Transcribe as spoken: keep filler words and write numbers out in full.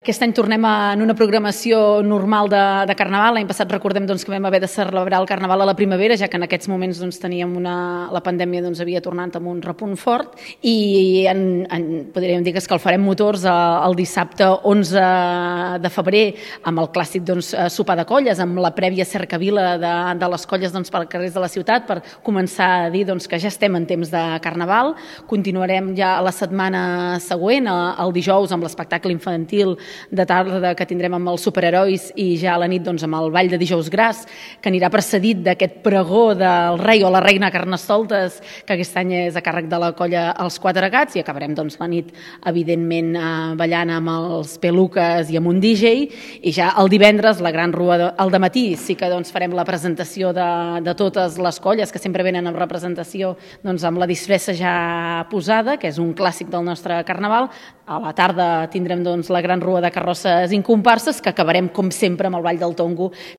Aquest any tornem en una programació normal de, de Carnaval. L'any passat recordem doncs, que vam haver de celebrar el Carnaval a la primavera, ja que en aquests moments doncs, teníem una, la pandèmia doncs, havia tornat amb un repunt fort i en, en, podríem dir que escalfarem motors el dissabte onze de febrer amb el clàssic doncs, sopar de colles, amb la prèvia cercavila de, de les colles doncs, per carrers de la ciutat per començar a dir doncs, que ja estem en temps de Carnaval. Continuarem ja la setmana següent, el dijous, amb l'espectacle infantil de tarda que tindrem amb els superherois i ja a la nit doncs, amb el ball de dijous gras, que anirà precedit d'aquest pregó del rei o la reina Carnestoltes, que aquest any és a càrrec de la colla Els Quatre Gats, i acabarem doncs, la nit, evidentment, eh, ballant amb els peluques i amb un D J, i ja el divendres, la gran rua de, al dematí, sí que doncs, farem la presentació de, de totes les colles, que sempre venen amb representació doncs, amb la disfressa ja posada, que és un clàssic del nostre Carnaval. A la tarda tindrem doncs, la gran rua de carrosses incomparses, que acabarem, com sempre, amb el Ball del Tongo,